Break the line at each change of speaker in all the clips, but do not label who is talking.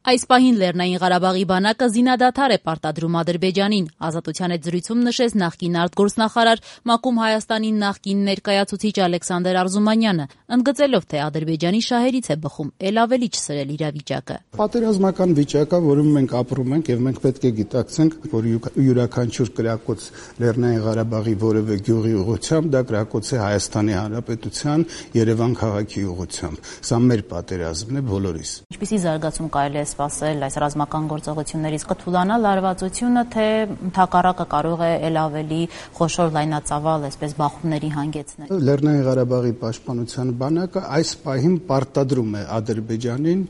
Այս պահին Լեռնային Ղարաբաղի բանակը զինադադար է պարտադրում Ադրբեջանին, Ազատության հետ զրույցում նշեց նախկին արտգործնախարար ՄԱԿ-ում Հայաստանի նախկին ներկայացուցիչ Ալեքսանդր Արզումանյանը, ընդգծելով, թե Ադրբեջանի շահերից է բխում էլ ավելի չսրել իրավիճակը։
Պատերազմական վիճակը, որում մենք ապրում ենք, եւ մենք պետք է գիտակցենք, որ յուրաքանչյուր կրակոց Լեռնային Ղարաբաղի որևէ գյուղի ուղղությամբ դա կրակոց է Հայաստանի Հանրապետության Երևան քաղաքի ուղղությամբ։ Սա մեր պատերազմն է բոլորիս։
Ինչպիսի զարգացում կարելի է սպասել այս ռազմական գործողություններից, կթուլանա լարվածությունը, թե ընդհակառակը կարող է ել ավելի խոշոր լայնածավալ այսպես բախումների հանգեցնել։
Լեռնային Ղարաբաղի պաշտպանության բանակը այս պահին պարտադրում է Ադրբեջանին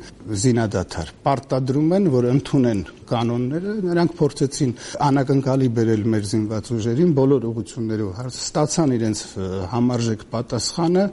զինադադար։ Պարտադրում են, որ ընդունեն կանոնները, նրանք փորձեցին անակնկալի բերել մեր զինված ուժերին բոլոր ուղղություններով, ստացան իրենց համարժեք պատասխանը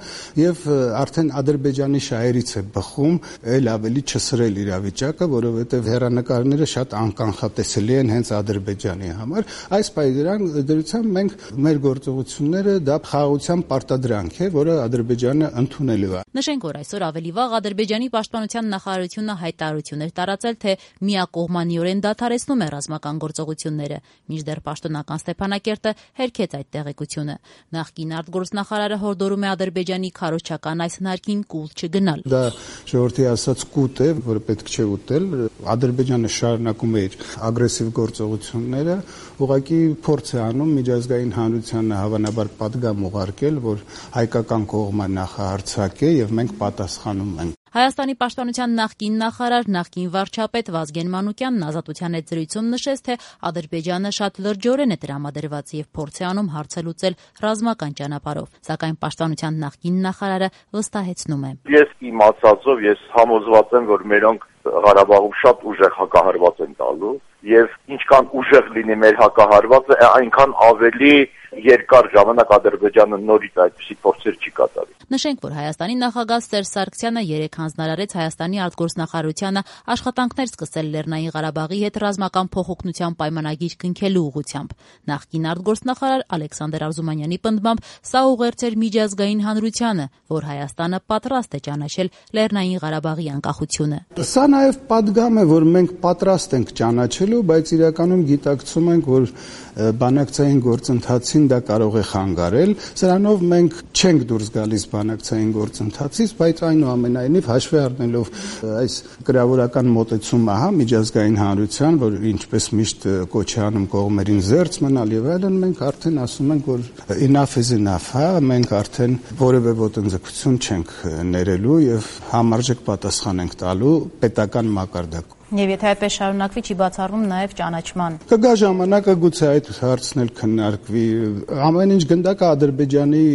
եւ արդեն Ադրբեջանի շահերից է բխում ել ավելի չսրել իրավիճակը, որովհետեւ հեռանկարները շատ անկանխատեսելի են հենց Ադրբեջանի համար։ Այս պայմաններում մենք մեր գործողությունները դա խաղաղության պարտադրանք է, որը Ադրբեջանը ընդունելու է։
Նշենք, որ այսօր ավելի վաղ Ադրբեջանի պաշտպանության նախարարությունը հայտարարություն էր տարածել, թե միակողմանիորեն դադարեցնում է ռազմական գործողությունները, մինչդեռ պաշտոնական Ստեփանակերտը հերքեց այդ տեղեկությունը։ Նախկին արտգործնախարարը հորդորում է Ադրբեջանի քարոզչական այս հնարքին կուլ չգնալ։
Դա ժողովրդի ասած կուտ է, որը պետք չէ ուտել։ Ադրբեջանը շարունակում է իր ագրեսիվ գործողությունները, ուղղակի փորձ է անում միջազգային հանրությանը հավանաբար պատգամ ուղարկել, որ հայկական կողմը նախահարձակ է եւ մենք պատասխանում ենք։
Հայաստանի պաշտպանության նախկին նախարար, նախկին վարչապետ Վազգեն Մանուկյանն Ազատության հետ զրույցում նշեց, թե Ադրբեջանը շատ լրջորեն է տրամադրված եւ փորձ է անում հարցը լուծել ռազմական ճանապարհով, սակայն պաշտպանության նախկին նախարարը վստահեցնում է.
Ես իմացածով ես համոզված եմ, որ մերոնք Ղարաբաղում շատ ուժեղ հակահարված են տալու եւ ինչքան ուժեղ լինի մեր հակահարվածը, այնքան ավելի երկար ժամանակ Ադրբեջանը նորից այդպիսի փորձեր չի կատարի։
Նշենք, որ Հայաստանի նախագահ Սերժ Սարգսյանը երեկ հանձնարարեց Հայաստանի արտգործնախարարությանը աշխատանքներ սկսել Լեռնային Ղարաբաղի հետ ռազմական փոխօգնության պայմանագիր կնքելու ուղղությամբ։ Նախկին արտգործնախարար Ալեքսանդր Արզումանյանի պնդմամբ սա ուղերձ էր միջազգային հանրությանը, որ Հայաստանը պատրաստ է ճանաչել Լեռնային Ղարաբաղի անկախությունը։
Սա նաև պատգամ է, որ մենք պատրաստ ենք ճանաչելու, բայց իրականում գիտակցում ենք, որ բանակցային գործընթացին դա կարող է խանգարել։ Սրանով մենք չենք դուրս գալիս բանակցային գործընթացից, բայց այնուամենայնիվ հաշվի առնելով այս գրավորական մոտեցումը միջազգային հանրության, որ ինչպես միշտ կոչ է անում կողմերին զերծ մնալ եւ այլն, մենք արդեն ասում ենք, որ enough is enough, մենք արդեն որևէ ոտնձգություն չենք ներելու եւ համարժեք պատասխան ենք տալու պետական մակարդակով։
Եվ եթե այդպես շարունակվի, չի բացառվում նաև ճանաչման։
Կգա ժամանակը գուցե այդ հարցն էլ քննարկվի։ Ամեն ինչ գնդակը Ադրբեջանի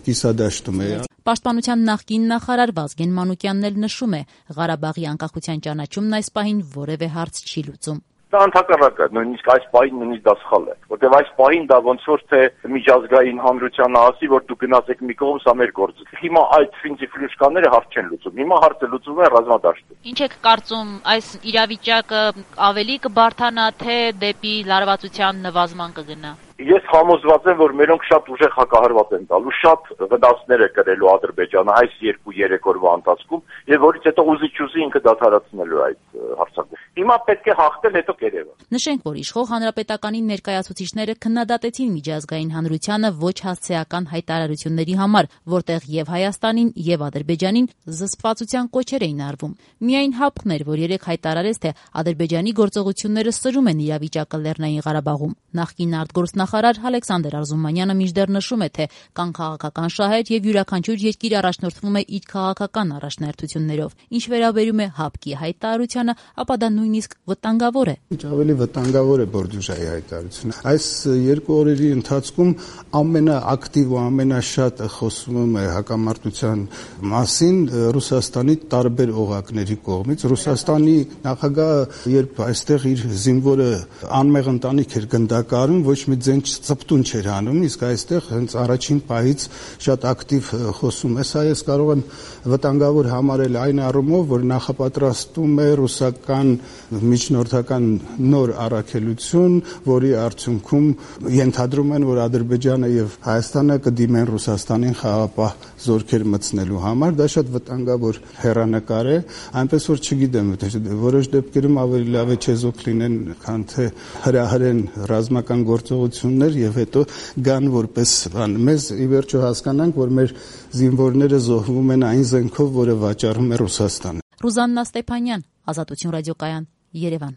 կիսադաշտում է։
Պաշտպանության նախկին նախարար Վազգեն Մանուկյանն էլ նշում է, Ղարաբաղի անկախության ճանաչումն այս պահին որևէ հարց չի լուծում։
Դա ընդհակառակը, նույնիսկ այս պահին նույնիսկ դա սխալ է, որտեղ այս պահին դա ոնց որ թե միջազգային հանրությանը ասի, որ դու գնացեք մի կողմ, սա մեր գործը։ Հիմա այդ ֆինցի-ֆլյուշկաները հարց չեն լուծում։ Հիմա հարցը լուծում է ռազմադաշտում։
Ինչ եք կարծում, այս իրավիճակը ավելի կբարթանա, թե դեպի լարվածության նվազման կգնա։
Ես համոզված եմ, որ մերոնք շատ ուժեղ հակահարված են տալու, շատ վնասներ է կրելու Ադրբեջանը այս 2-3 օրվա ընթացքում, եւ որից հետո ուզի-չուզի ինքը դադարեցնելու այդ հարձակումը։ Հիմա պետք է հաղթել, հետո կերևա։
Նշենք, որ իշխող հանրապետականի ներկայացուցիչները քննադատեցին միջազգային հանրությանը ոչ հասցեական հայտարարությունների համար, որտեղ եւ Հայաստանին եւ Ադրբեջանին զսպվածության կոչեր էին արվում։ Միայն ՀԱՊԿ-ն էր, որ երեք հայտարարեց, թե Ադրբեջանի գործողությունները սրում են իրավիճակը Լեռնային Ղարաբաղում։ Նախկին արտգործնախարար Ալեքսանդր Արզումանյանը մինչդեռ նշում է, թե կան քաղաքական շահեր եւ յուրաքանչյուր երկիր առաջնորդվում է իր քաղաքական առաջնահերթություններով։ Ինչ վերաբերում է ՀԱՊԿ-ի հայտարարությանը, ապա դա նույնիսկ վտանգավոր է։
Ինչ ավելի վտանգավոր է Բորդյուժայի հայտարարությունը։ Այս 2 օրերի ընթացքում ամենաակտիվ ու ամենաշատը խոսում է հակամարտության մասին Ռուսաստանի տարբեր օղակների կողմից։ Ռուսաստանի նախագահը երբ այստեղ իր զինվորը անմեղ ընտանիք էր գնդակարում, ոչ մի իրեն ծպտուն չէր անում, իսկ այստեղ հենց առաջին պահից շատ ակտիվ խոսում է։ Սա ես կարող եմ վտանգավոր համարել այն առումով, որ նախապատրաստում է ռուսական միջնորդական նոր առաքելություն, որի արդյունքում ենթադրում են, որ Ադրբեջանը եւ Հայաստանը կդիմեն Ռուսաստանին խաղաղապահ զորքեր մտցնելու համար։ Դա շատ վտանգավոր հեռանկար է, այնպես որ չգիտեմ, որոշ դեպքերում ավելի լավ է չեզոք լինեն, քան թե հրահրեն ռազմական գործողություններ եւ հետո գան որպես բան։ Մեզ ի վերջո հասկանանք, որ մեր զինվորները զոհվում են այն զենքով, որը վաճառում է Ռուսաստանը։
Ռուզաննա Ստեփանյան, Ազատություն ռադիոկայան, Երևան։